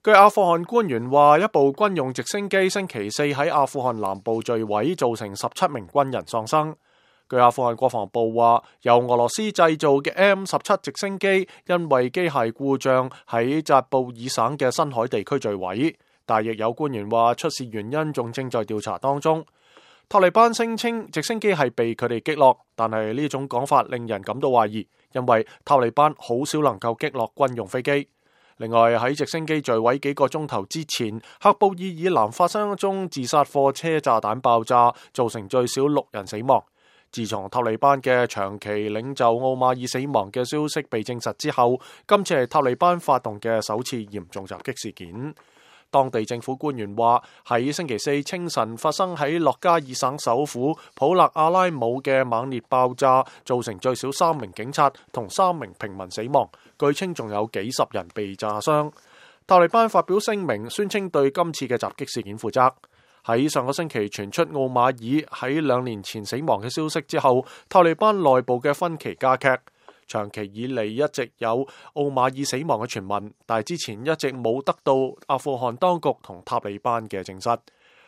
據阿富汗官員話，一部軍用直升機星期四喺阿富汗南部墜毀，造成17名軍人喪生。據阿富汗國防部話，由俄羅斯製造嘅 M17直升機因為機械故障喺扎布爾省嘅新海地區墜毀，但亦有官員話出事原因仲正在調查當中。塔利班聲稱直升機係被佢哋擊落，但係呢種講法令人感到懷疑，因為塔利班好少能夠擊落軍用飛機。另外喺直升機墜毀幾個鐘頭之前，喀布爾以南發生一宗自殺貨車炸彈爆炸，造成最少6人死亡。自從塔利班嘅長期領袖奧馬爾死亡嘅消息被證實之後，今次係塔利班發動嘅首次嚴重襲擊事件。當地政府官員話，喺星期四清晨發生喺洛加爾省首府普勒阿拉姆嘅猛烈爆炸，造成最少3名警察同3名平民死亡，據稱仲有幾十人被炸傷。塔利班發表聲明，宣稱對今次嘅襲擊事件負責。喺上個星期傳出奧馬爾喺2年前死亡嘅消息之後，塔利班內部嘅分歧加劇。長期以嚟一直有奧馬爾死亡嘅傳聞，但係之前一直冇得到阿富汗當局同塔利班嘅證實。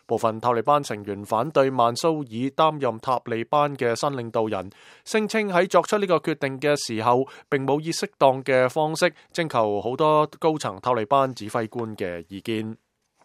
部分塔利班成員反對曼蘇爾擔任塔利班嘅新領導人，聲稱喺作出呢個決定嘅時候，並冇以適當嘅方式徵求好多高層塔利班指揮官嘅意見。